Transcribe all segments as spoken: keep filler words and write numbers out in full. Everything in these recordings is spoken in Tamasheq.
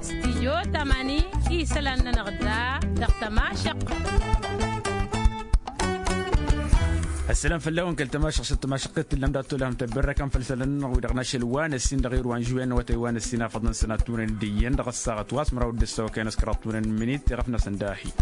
Stijyo tamani isălan-nănăɣ da dăɣ-tămašăq. Ăssalam fălla-wen kăl-tămašăq s-tămašăqqet tǝllam dat-tolăhăm tăbberrăkăm făll-isălan-nănăɣ wi-dăɣ n-ašăl wa n-ăssin dăɣ-irwa n-žuwen n-awătay wa n-ăssin afăḍăn sănattunen d-iyyăn dăɣ-ăssaɣăt wa s-măraw d-ăssawăkăyăn s-kăraḍtunen n-minit iɣăf-năsăn dahi.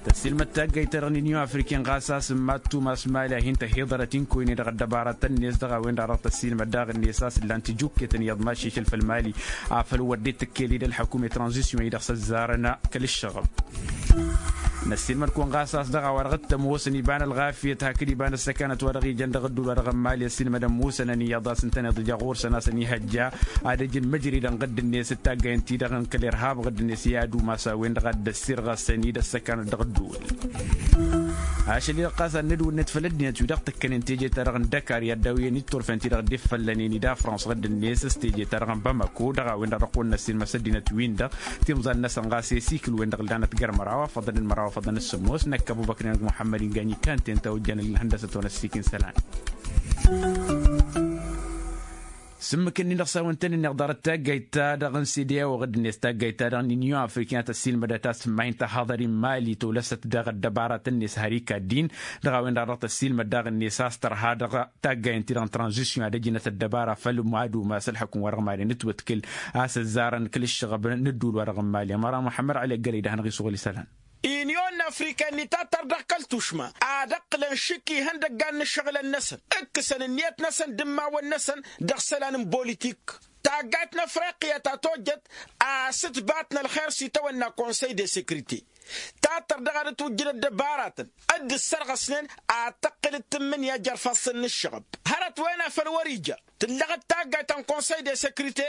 Tăssiilmăd taggayt-ta-dăɣ n-inyon afriken ɣas a-s n-mattum a-s mali a hin-tăhiḍărăt inkoyne dăɣ-ăddăbaratăn-net dăɣ-a-wen-dăɣ dăɣ-tăssiilmăd daɣ-net a-s ǝllan tijukket n-iyyăḍ maššešăl făll-mali. Afăl wăr dd-tǝkkel-dd ălḥăkum i-tranzisyon-i-dăɣ s-ăzzarăn kăl-ǝššăɣăb. Năssiilmăd-kăwăn ɣas a-s dăɣ-a-wa dăɣ-t-ămoosăn iba n-ălɣafyăt hakd iba n-ăssăkanăt wa dăɣ-ijăn dăɣ-ădduul wa dăɣ-ămmali ăssiilmădăn musănăn iyyăḍ a-s ǝntăneḍ ija ɣur-săn a-s ănihăjja ad-ăj n-măjridăn ɣǝdd-net d-taggay ǝnta-i-dăɣ n-kăl-irhab ɣǝdd-net i-ad-umas a-wen-dăɣ a dd-ăssirɣăsăn-dd ăssăkanăt dăɣ-ădduul. Ašăl-i-dăɣ ɣas ad-nǝdwǝlnet făll-ăddinăt wi-dăɣ tǝkkănen teje-ta-dăɣ n-dăkar i-ad-dawǝyăn itturfen-ti-dăɣ dd-iffăllănen-i d-afrans ɣǝdd-net s-teje-ta-dăɣ n-bamako dăɣ-a-wen-dăɣ dăɣ-kăwăn-năssiilmăs ăddinăt-win-dăɣ timẓal-năsăn ɣas i-sikǝl-wen-dăɣ ǝllanăt găr măraw afăḍăn d-măraw afăḍăn d-sǝmmos năkk ăbubăkr-inăg muḥămmăd ingany kanten ta ojjan ǝllan hăndăsăt-wen ăssiik n-isălan. S-ǝmmǝk-ǝnnin-dăɣ s-a-wen tăn-ǝnneɣ ḍarăt taggayt-ta-dăɣ n-sede a-wa ɣǝdd-net taggayt-ta-dăɣ n-inyon afrikyan tăssiilmădăt a-s tǝmmahin tăhaḍăr-i n-mali tolăsăt dăɣ-ăddăbaratăn-net har ikadd-in. Dăɣ-a-wen-dăɣ dăɣ-tăssiilmăd daɣ-net a-s tărha dăɣ-taggayen-ti-dăɣ n-tranzisyon ad-ăjnăt ăddăbara făll-mad-umas ălḥukǝm wa dăɣ-mali n-ǝtwătkǝl a-s ăzzarăn kăl-ǝššăɣăb n-ǝddul wa dăɣ-n mali ămăra muḥămmăd ălăggălăy d-ad-hanăɣ-isuɣǝl isălan. Inyon afrika ǝnni tattăr dăɣ-kăl-tušma ad-ăqqǝlăn šik ihăndăggan n-ǝššăɣǝlăn-năsăn ǝkkǝsăn ǝnniyăt-năsăn d-immawăn-năsăn dăɣ-isălan n-bolitik. Taggayt n-afriqya ta tojjăt a-s ǝtbat n-ălxer s-itawănna konsăy de sekrite tattăr dăɣ-ad-ătwǝjjǝd ăddăbaratăn dd-ǝssărɣăsnen ad-tăqqǝl d-tǝmmǝnǝya jer-ifassăn n-ǝššăɣăb. Hărăt-wen a făl wăr-ija tǝllăɣăt taggayt ta n-konsăy de sekrite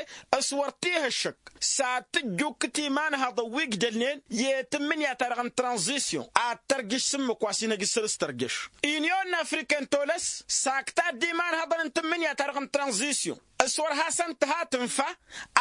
s-wăr t-ih' ǝššăk s-ad-tǝjjukkǝt imanhaḍăn wi ǝjdălnen i-tǝmmǝnǝya-ta-dăɣ n-tranzisyon ad-tărjǝš s-ǝmmǝk wa s-inăj ǝssǝr s-tărjăš. Inyon n-afrika n-tolăs sakta-dd imanhaḍăn n-tǝmmǝnǝya-ta-dăɣ n-tranzisyon s-wăr hasăn-tǝha tǝnfa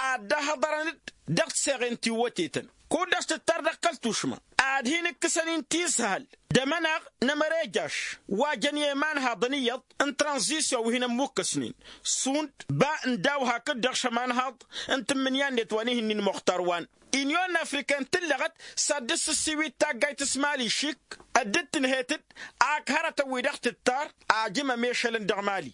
ad-dd-ăhhăḍărăn-dd dăɣ-tiseɣen tiwwătetăn. Kud-dăɣ s-tǝttar dăɣ-kăl-tušma ad-hin-ǝkkǝsăn-in tishăl d-amănaɣ n-amărejaš wa jăn i-imanhaḍăn iyyăḍ n-tranzisyon wi hin-ămmukkăsnen šund ba n-daw hakd-dăɣ šămanhaḍ n-tǝmmǝnǝya-net wa n-ihǝnnin muxtar wa n-inyon n-afrika n-tǝllăɣăt s-ad-dd-sǝssiwit taggayt s-mali šik dd-tǝnhăyăt-dd ak hărătăn-wi-dăɣ tǝttar ajǝmăm i-ašălăn dăɣ-mali.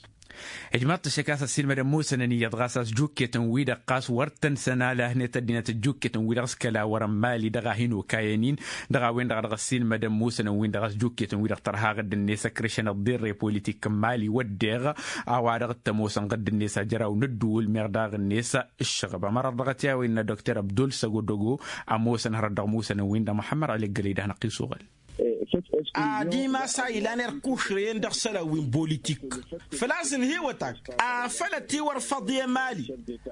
Ijmaḍ-t ăššăk a-s ăssiilmădăn musănăn iyyăḍ ɣas a-s jukketăn-wi-dăɣ ɣas wăr tăn-sănalăhnet ăddinăt ăjjukketăn-wi-dăɣ s-kăla wărăn mali dăɣ-a hin-okayăn-in. Dăɣ-a-wen-dăɣ dăɣ-ăssiilmădăn musănăn-win-dăɣ a-s jukketăn-wi-dăɣ tărha ɣǝdd-net ăkrăšăn ăḍḍirre politik n-mali wădden a-wa dăɣ-t-ămoosăn ɣǝdd-net ajăraw n-ǝddǝwǝl meɣ daɣ-net ǝššăɣăb ămăra dăɣ-t i-a-wa innă dokter abdul săgodogo. Ămoosăn hărăt dăɣ-musănăn-win-dăɣ muḥămmăd ălăggălăy d-ad-hanăɣ-t-isuɣǝl. Adimas a ilan erk ušrăyăn dăɣ-isălan wi n-bolitik făl-a-s ǝnhǝywăt-ak afăl ătiwărfăḍ i-emali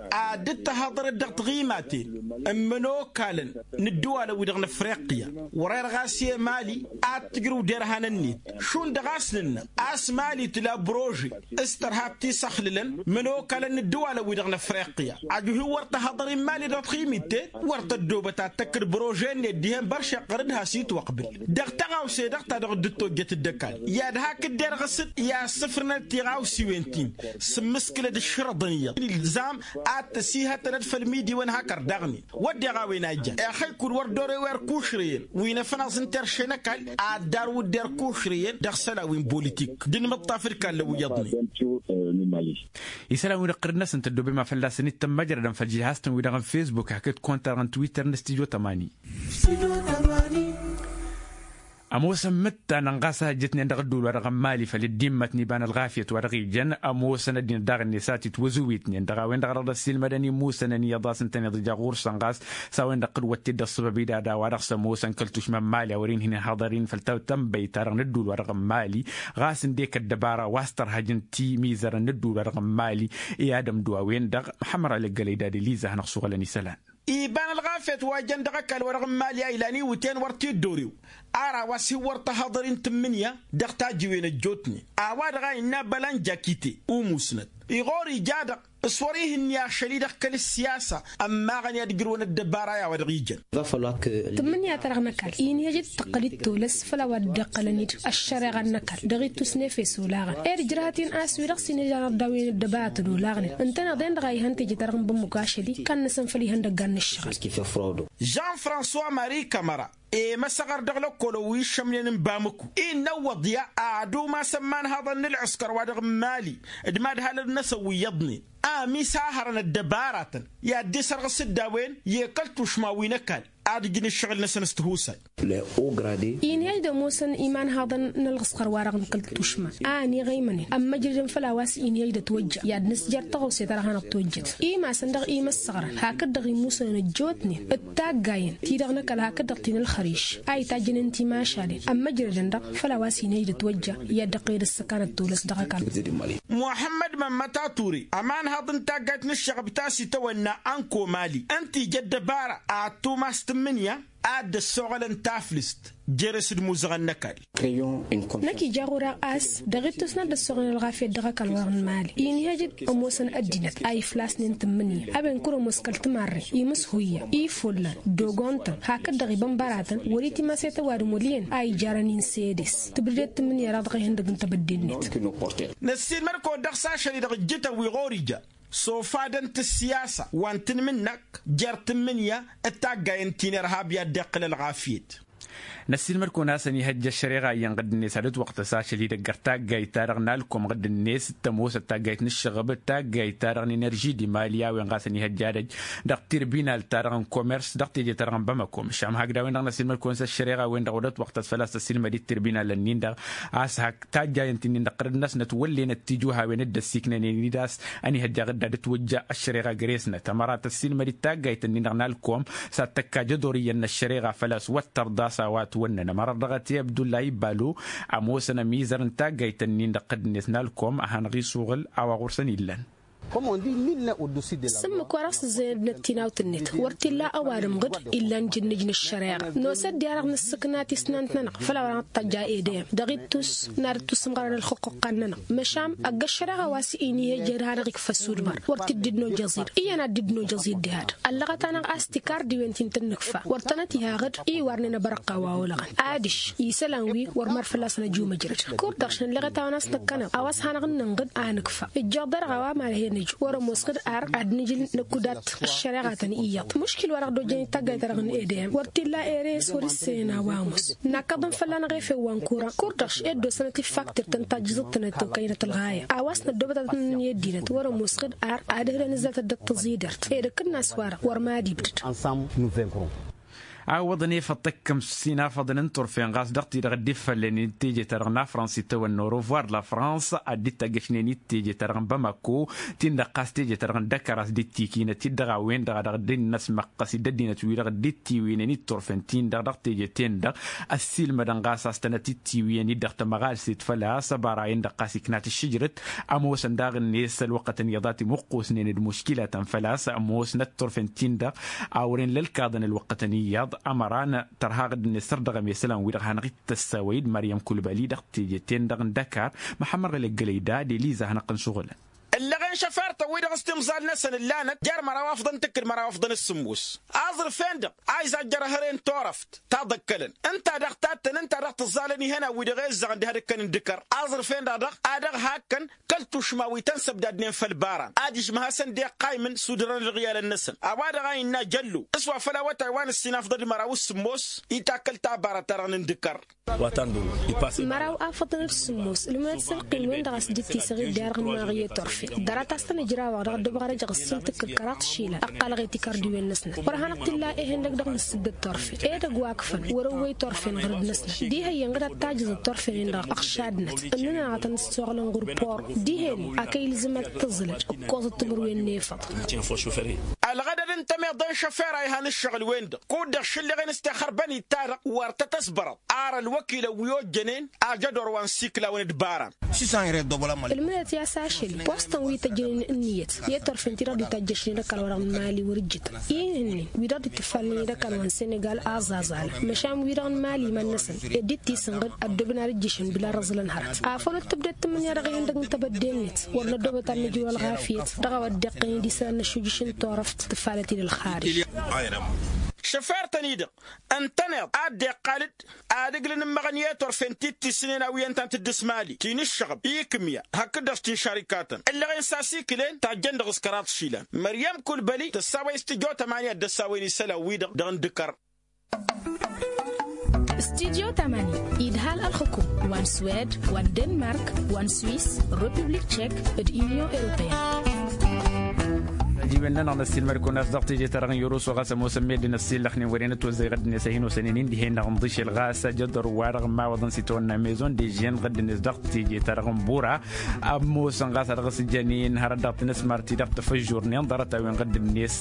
ad-dd-tăhaḍărăt dăɣ-tiɣimaten n-imănokalăn n-ǝddǝwalăn-wi-dăɣ n-afriqya. Wăr-erɣ a-s i-emali ad-tǝjrǝw derhanăn-net šund dăɣ-a-s nǝnnă a-s mali tǝla brože s-tărha tisăxlǝlăn imănokalăn n-ǝddǝwalăn-wi-dăɣ n-afriqya. Ajuhi wăr tăhaḍăr i-mali dăɣ-tiɣimit-ten wăr tăddoobăt ad-tăkk d-brože-net dihen băršeɣ ɣăr-dd has-itwăqbǝl dăɣ-taɣawse-dăɣ ta dăɣ-dd-tojjăt d-ăkall. I-ad-hak dd-erɣǝs-dd i-ad-sǝfrǝnăt tiɣawsiwen-tin s-ǝmmǝskǝlăd ǝššărăḍăn iyyăḍ ilzam ad-t-ăsihătănăt făll-imidiwăn hak ărdaɣnen. Wădden a-wen a ijjan exăy kud-wăr dd-orew erk ušrăyăn wi n-afănaẓ n-terše n-ăkall ad-darwǝd d-erk ušrăyăn dăɣ-isălan wi n-bolitik d-inmǝṭṭaf d-ikallăn wi iyyăḍnen. Isălan-wi-dăɣ ɣǝrǝd-năsăn tăddoobem a fălla-săn-dd tămmăjrădăn făll-žihaz-tăn wi-dăɣ n-fesbuk hakd konta-dăɣ n-twitter n-stijo tămani. Ămoosăn imǝttanăn ɣas a ăjjătnen dăɣ-ǝddǝwǝl-wa-dăɣ n-mali făll-dd-immăt n-iba n-ălɣafyăt wa-dăɣ ijăn ămoosăn ăddinăt daɣ-net a titwăzǝwitnen dăɣ-a-wen-dăɣ dăɣ-dd-ăssiilmădăn imusănăn iyyăḍ a-s ǝntăneḍ ija ɣur-săn ɣas s-a-wen-dăɣ kăd-wătted d-ăṣṣăbăb-i d-ad-a-wa dăɣ-s ămoosăn kăl-tušma n-mali a wăren hin-inhaḍăr-in făll-tănbăyt-ta-dăɣ n-ǝddǝwǝl-wa-dăɣ n-mali. Ɣas ǝndek ăddăbara wa s-tărha ăj n-timizărăn n-ǝddǝwǝl-wa-dăɣ n-mali i-ad-ămdǝw a-wen-dăɣ muḥămmăr alăggălăy d-ad-eliza a hanăɣ-suɣǝlăn isălan. Iba n-ălɣafyăt. Fet wa jăn dăɣ-ăkall-wa-dăɣ n-mali a ilan iwǝtyan wăr t-dd-orew. Ar a-wa s-hin-wăr tăhăḍăr-in tǝmmǝnǝya dăɣ-tajǝwen ăjjootnen a-wa-dăɣ a innă bălanja kite umusnăt iɣor ija-dăɣ s-wăr-ihǝnni ašăl-i-dăɣ kăl-ǝssiyasa. Ămmaɣăn i-ad-ǝjrǝwăn ăddăbara i-a-wa dăɣ-ijăn. Tǝmmǝnǝya-ta-dăɣ n-ăkall inhăj d-tăqqăl-dd tolăs făll-a-wa dd-iqqălăn-dd ăššăreɣa n-ăkall dăɣ-ittus n-efes olaɣăn. Ed ǝjrăhăt-in a-s wi-dăɣ s-inhăj anăɣ-daw-in ăddăbara tănolaɣnen ǝntăneḍ-en-dăɣ a ihăn teje-ta-dăɣ n-bămmuk ašăl-i kannăsăn făll-ihăndăggan n-ǝššăɣǝl. Jean-françois marie kamăra i-măsăɣăr dăɣ-lăkkol ăwwi ǝššămnen n-bamăku innă ǝwwăḍ i-ad-umasăn imanhaḍăn n-ălɣǝskăr-wa-dăɣ n-mali d-imadhalăn-năsăn wi iyyăḍnen a ămiis a hărăn ăddăbaratăn i-ad-dd-isărɣǝs dd-a-wen i-kăl-tušma wi n-ăkall ad-ǝjǝn ǝššăɣǝl-năsăn s-tihusay. Inhăj d-ămoosăn imanhaḍăn n-ălɣǝskăr-wa-dăɣ n-kăl-tušma a ăniɣăymănen ămmăjrădăn făll-a-wa s-inhăj d-ătwăjja i-ad-nǝsjăr tăɣawse-ta-dăɣ hanăɣ-twăjjăt imasăn dăɣ-imăssăɣrăn hakd-dăɣ imusnăn ăjjootnen d-taggayen ti-dăɣ n-ăkall hakd-dăɣ ti n-ălxăriš a itajjănen timašalen ămmăjrădăn-dăɣ făll-a-wa s-inhăj d-ătwăjja i-ad-dd-ăqqăyăd ăssăkanăt tolăs dăɣ-ăkall. Muḥămmăd mămmăt ature ămanhăḍ n-taggayt n-ǝššăɣăb ta s-itawănna ănko mali ǝnta ija ăddăbara ad-tumas tǝmmǝnǝya ad-dd-ăssoɣălăn taflǝst jere-s d-imuzăɣăn n-ăkall. Năkk ija ɣur-e a-s dăɣ-ittus n-ad-dd-ăssoɣălăn ălɣafyăt dăɣ-ăkall wa n-mali inhăj-dd ămoosăn ăddinăt a iflasnen tǝmmǝnǝya a-wen kăr-ămoos kăl-timarre imǝshuyya ifullan d-ogontăn hakd-dăɣ ibănbăratăn wăr-itimas i-tăwadǝm wăl' iyyăn a ijarăn insedes tǝbdǝdet tǝmmǝnǝya-dăɣ dăɣ-ihăndăg n-tebădde-net. Năssiilmăd-kăwăn dăɣ-s ašăl-i-dăɣ ǝjjǝtăn wi ɣur-ija sofadăn-t ǝssiyasa wa n-tanmǝnnakt jer-tǝmmǝnǝya d-taggayen ti n-irhab i-ad-dd-iqqǝl ălɣafyăt. Năssiilmăd-kăwăn a-s ănihăjja ăššăreɣa iyyăn ɣǝdd-net ad-ǝtwăqtăs ašăl-i-dăgg ăr taggayt-ta-dăɣ n-alkum ɣǝdd-net d-tămoosăt taggayt n-ǝššăɣǝb d-taggayt-ta-dăɣ n-enerži d-imali a-wen ɣas ănihăjja adăj dăɣ-tirbinal-ta-dăɣ n-komers dăɣ-teje-ta-dăɣ n-bamako măšan hakd a-wen-dăɣ năssiilmăd-kăwăn s-ăššăreɣa-wen-dăɣ wăr dd-ătwăqtăs făl-a-s tăssiilmăd-dd tirbinal-ǝnnin-dăɣ a-s hak tajjayăn-t-nin dăɣ-tărăd-năsnăt wăllenăt tijuhawen dd-ăssiiknănen-dd a-s ănihăjja ɣǝdda d-ătwăjja ăššăreɣa gres-năt ămăra tăssiilmăd-dd taggayt-ǝnnin-dăɣ n-alkom s-ad-tăkka jădor iyyăn n-ăššăreɣa făl-a-s wăr tărḍa a-s a-wa ătwănnăn ămăra dăɣ-t i-abdullahi balu ămoosăn ămizăr n-taggayt-ǝnnin-dăɣ ɣǝdd-net n-alkom a hanăɣ-isuɣǝl a-wa ɣur-săn illăn. S-ǝmmǝk wa dăɣ-s ǝzzăyăn d-năttinawt-net wăr t-illa ăwadǝm ɣǝd illan jǝnnǝj n-ăššăreɣa. Nosă-dd i-ad-dăɣ-nǝssǝkna tisnant-nănăɣ făll-a-wa dăɣ-năttăjja edăyăm dăɣ-ittus n-ad-dd-tusǝmɣărăn ălxǝqquqqan-nănăɣ. Măšan ăgg-ăššăreɣa wa s-inihăjjăd hanăɣ-ikfa ăssudmăr wăr t-dd-nojăẓ-dd iyyăn ad-dd-nojăẓ-dd ehăd. Ăllăɣăt-anăɣ a-s tikar diwen ti n-tăn-nǝkfa wăr tănăt-iha ɣǝd iwarnen abărăqqa wa olăɣăn adiš isălan wi wăr mar fălla-săn ăjumăjrăd. Kur-dăɣ šăn ălleɣăt a-wen a-s năkkăneḍ a-wa s-hanăɣ-ǝnnăn ɣǝd a nǝkfa ǝjjeɣ dăr-ɣawa ma dăɣ-e-nǝj wăr-ămoos ɣǝd ar ad-nǝjǝl năkkudat ăššăreɣa-tăn iyyăḍ. Muškil wa dăɣ-dd-ojjăn i-taggayt-ta-dăɣ n-edăyăm wăr t-illa ere s-wăr-ǝssăyăn a-wa ămoos. Nakkăḍăn fălla-năɣ efew wa n-kura kur-dăɣ š-ed d-osănăt i-ǝffak tirtăn tajjǝẓăt-tănăt tokăynăt ălɣaya a-wa s-năddoobăt ad-tăn-nǝnna i-ăddinăt wăr-ămoos ɣǝd ar ad-ǝhǝdăn ǝzzatăt d-ăttăẓidert. Ed ǝkkǝnnas-wa-dăɣ wăr mad-ibdăd. A ǝwwăḍăn efăḍ tăkkăm s-inafăḍăn n-turfen ɣas dăɣ-ti-dăɣ dd-ifăllănen d-teje-ta-dăɣ n-afrans itawănna au revoir la france ad-dd-itajjăšnen i-teje-ta-dăɣ n-bamako. Tin-dăɣ ɣas teje-ta-dăɣ n-dăkăr a-s dd-tikinăt-dd dăɣ-a-wen-dăɣ a dăɣ-dd-innăsmăqqăs d-ăddinăt-wi-dăɣ dd-ittiwǝynen i-turfen-tin-dăɣ dăɣ-teje-ten-dăɣ. Ăssiilmădăn ɣas a-s tănăt-ittiwǝyăn-dd dăɣ-tămăɣalset făl-a-s ăbara-en-dăɣ ɣas iknat ǝššǝjrăt ămoosăn daɣ-net ălwăqqătăn iyyăḍ a timǝqqusnen d-muškilatăn făl-a-s ămoosnăt turfen-tin-dăɣ. A wăren lălkaḍăn ălwăqqătăn iyyăḍ ămăra n-tărha ɣǝdd-net săr dăɣ-emesălan-wi-dăɣ hanăɣ-dd-tăssawăy d-măryăm kulbali dăɣ-teje-ten-dăɣ n-dăkar. Măḥămmăr ɣǝlăggălăy da d-eliza hanăɣ-tăn-suɣǝlăn. Ǝllăɣen šăfar-tăn-wi-dăɣ s-timẓal-năsăn ǝllanăt jer-măraw afḍăn tǝkkǝd măraw afḍăn d-sǝmmos. Aẓrǝf-en-dăɣ a izajjăr ehăre n-turăft taḍăkkălăn ǝnta a dăɣ-tattăn ǝnta a dăɣ-tǝẓẓalăn ihănan-wi-dăɣ ezzăɣăn d-ehăd ǝkkăn n-dăkăr. Aẓrǝf-en-dăɣ dăɣ-a dăɣ-hakkăn kăl-tušma wi tăn-săbdadnen făll-baran adiš măhasăn dd-iqqaymǝn sudărăn ălɣiyalăn-năsăn a-wa-dăɣ a innă jăllo s-wa făll-awătay wa n-ǝssin afḍăd măraw s-sǝmmos. Itakăl tabarăt-ta-dăɣ n-indǝkăr. Măraw afăḍăn d-sǝmmos ǝlmǝnăt s-ălqim-wen-dăɣ a-s dd-tisăɣ i-dd-iarăɣ n-maɣiye turfen. Ḍarăt-as tăn-ǝjrawăɣ dăɣ-ăddăbăɣ ad-ăjăɣ ǝssin tǝkkǝd kăraḍ šila ăqqalăɣ i-tikăr d-iwen-năsnăt wăr hanăɣ-t-illa ehen-dăgg dăɣ-nǝssǝddăd turfen edăgg wa ǝkfăn wăr-ăwwăy turfen ɣǝrǝd-năsnăt dihen-i ănɣăd ad-tajǝẓăd turfen-in-dăɣ ăɣšadnăt ǝnnǝnăɣ ad-tăn-ǝssoɣlăn ɣur-poro. Dihen-i a kăy-ilzǝm ad-tǝẓǝlăd ǝkkoẓăt timǝrwen n-efăḍ. Ălɣădăd n-temeḍe n-šăfera ihan ǝššăɣǝl-wen-dăɣ kud-dăɣ šǝlleɣen s-tixărbăn itadăɣ wăr tăt-ăsbărăḍ. Ar ălwăkilăn wi ojjănen ajădor wa n-siklaw n-dd-bara. Ǝlmǝdăt i-a-s ašăl wa s-tăn wi tăjjănen ǝnniyăt i-turfen-ti-dăɣ dd-itajjăšnen d-ăkall-wa-dăɣ n-mali wăr-ǝjjǝtăn. Ihǝnnin wi-dăɣ dd-ittǝffalnen i-dd ăkall wa n-senegal aẓaẓalăn măšan wi-dăɣ n-mali iman-năsăn ed dd-tisǝnɣǝd ăddoobăn ad-ǝjjǝšăn bila răẓlăn hărăt. Afăl wăr tǝbded tǝmmǝnǝya dăɣ-ihăndăg n-tebădde-net wăr năddoobăt ad-nǝjrǝw ălɣafyăt dăɣ-a-wa dd-iqqăyăn d-isălan n-ăššujǝš n-turăft tǝfalăt-dd ălxarij. Šăfer-tăn-i-dăɣ ǝntăneḍ a dd-iqqal-dd ad-ǝglǝn ǝmmăɣăn i-turfen ti t-issǝnen a-wi ǝntănăt dd-s mali ti n-ǝššăɣăb ikǝmya hakd-dăɣ s-tinšarikatăn ǝllăɣen s-asikǝlen tajjăn dăɣ-s kăraḍ išilan. Măryăm kulbăli tăssawăy s-tǝjo tămani ad-dd-ăssawăyăn isălan-wi-dăɣ dăɣ-n dǝkăr. Studyo tămani idhal ălxǝkum wa n-swed wa n-denmark wa n-swis, republik tšek d-inyon europeyăn. Ăjiwen-nănăɣ năssiilmăd-kăwăn a-s dăɣ-teje-ta-dăɣ n-yăruso ɣas ămoosăn meddǝn ăssiillăxnen wăren ătwăzzăy ɣǝddǝnet a hin-osănen indihen-dăɣ n-ḍišel ɣas ajădor-wa-dăɣ n-imawăḍăn s-itawănna maison de žen ɣǝddǝnet dăɣ-teje-ta-dăɣ n-bura. Ămoosăn ɣas a dăɣ-s jănen hărăt dăɣ-tinǝsmar-ti-dăɣ tafăžžurnen ḍarăt-a-wen ɣǝddǝnet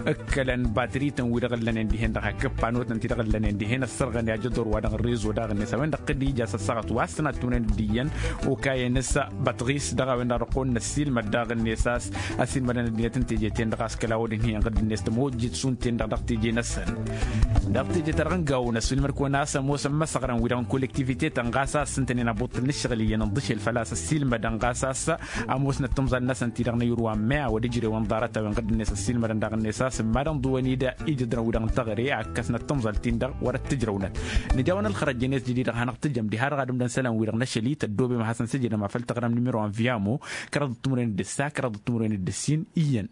ǝkkălăn batrităn wi-dăɣ ǝllănen dihen-dăɣ hakk ǝppanotăn ti-dăɣ ǝllănen dihen ăssărɣăn i-ajădor-wa-dăɣ n-rezo daɣ-net a-wen-dăɣ tǝdija s-ăssaɣăt wa s-tăn-ad-tǝwǝnen d-iyyăn okayăn s-băṭɣis dăɣ-a-wen-dăɣ dăɣ-kăwăn-năssiilmăd daɣ-net a-s ăsiilmădăn ăddinăt n-teje-ten-dăɣ a-s kăla-wăr-dd-hin-iyyăn ɣǝddǝnet tămojjit šund-ten-dăɣ dăɣ-teje-năsăn. Dăɣ-teje-ta-dăɣ n-gawăn ăswǝlmăd-kăwăn a-s ămoosăn imăsăɣrăn wi-dăɣ n-kollektivite-tăn ɣas a ǝssǝntănen abuṭṭǝl n-ǝššăɣǝl iyyăn ǝnḍǝšel făl-a-s ăssiilmădăn ɣas a-s ămoosnăt timẓal-năsăn ti-dăɣ n-ayǝr wa n-me a wăr-ǝjrewăn ḍarăt-a-wen ɣǝddǝnet ăssiilmădăn daɣ-net a-s ǝmmadăn ḍuwăn-dd ijǝdran wi-dăɣ n-teɣăre a ǝkkăsnăt timẓal-tin-dăɣ wăr-ăttǝjrăwnăt. Nǝja-wăn ălxărăt jenet jădid-dăɣ hanăɣ-tǝjăm diha-dăɣ ad-ǝmdăn isălan-wi-dăɣ n-ašăl-i tăddoobem ad-hasăn-sǝjǝdăm a făl tăɣrăm nimero wa n-viyamo kăraḍăt timǝrwen d-ǝssa kăraḍăt timǝrwen d-ǝssin iyyăn.